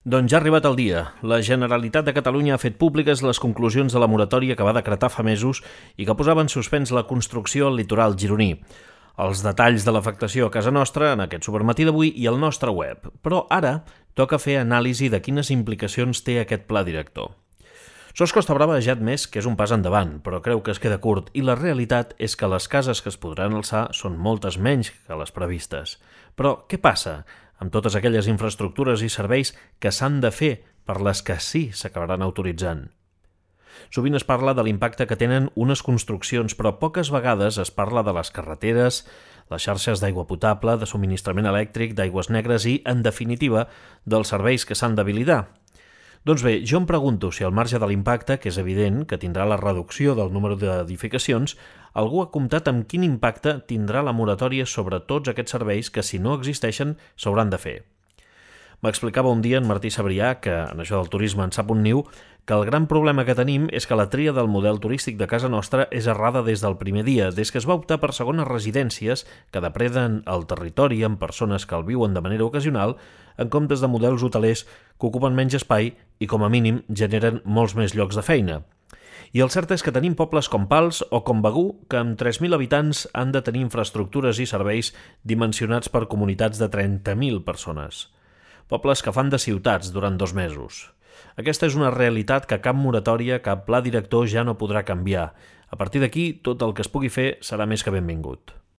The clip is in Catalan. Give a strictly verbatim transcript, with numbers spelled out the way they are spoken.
Doncs ja ha arribat el dia. La Generalitat de Catalunya ha fet públiques les conclusions de la moratòria que va decretar fa mesos i que posava en suspens la construcció al litoral gironí. Els detalls de l'afectació a casa nostra en aquest supermatí d'avui i al nostre web. Però ara toca fer anàlisi de quines implicacions té aquest pla director. Sos Costa Brava ja ha admès que és un pas endavant, però creu que es queda curt i la realitat és que les cases que es podran alçar són moltes menys que les previstes. Però què passa amb totes aquelles infraestructures i serveis que s'han de fer per les que sí s'acabaran autoritzant? Sovint es parla de l'impacte que tenen unes construccions, però poques vegades es parla de les carreteres, les xarxes d'aigua potable, de subministrament elèctric, d'aigües negres i, en definitiva, dels serveis que s'han d'habilitar. Doncs bé, jo em pregunto si al marge de l'impacte, que és evident que tindrà la reducció del número d'edificacions, algú ha comptat amb quin impacte tindrà la moratòria sobre tots aquests serveis que, si no existeixen, s'hauran de fer. M'explicava un dia en Martí Sabrià, que en això del turisme en sap un niu, que el gran problema que tenim és que la tria del model turístic de casa nostra és errada des del primer dia, des que es va optar per segones residències que depreden el territori amb persones que el viuen de manera ocasional, en comptes de models hotelers que ocupen menys espai i, com a mínim, generen molts més llocs de feina. I el cert és que tenim pobles com Pals o com Begur, que amb tres mil habitants han de tenir infraestructures i serveis dimensionats per comunitats de trenta mil persones. Pobles que fan de ciutats durant dos mesos. Aquesta és una realitat que cap moratòria, cap pla director ja no podrà canviar. A partir d'aquí, tot el que es pugui fer serà més que benvingut.